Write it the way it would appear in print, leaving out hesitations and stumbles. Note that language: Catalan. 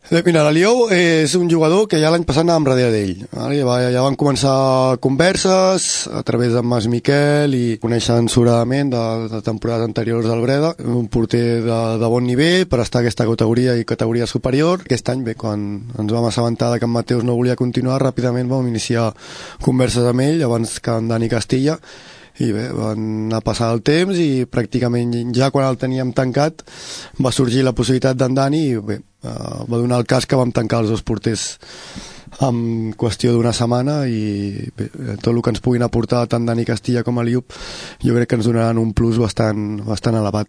Mira, l'Aliou és un jugador que ja l'any passat anàvem darrere d'ell. Vale? Ja van començar converses a través d'en Mas Miquel i coneixen sobradament de temporades anteriors del Breda, un porter de bon nivell per estar a aquesta categoria i categoria superior. Aquest any, bé, quan ens vam assabentar que en Mateus no volia continuar, ràpidament vam iniciar converses amb ell abans que en Dani Castilla, i bé, van anar passant el temps i pràcticament ja quan el teníem tancat va sorgir la possibilitat d'en Dani i bé, va donar el cas que vam tancar els dos porters en qüestió d'una setmana i bé, tot el que ens puguin aportar tant Dani Castilla com Aliou jo crec que ens donaran un plus bastant elevat.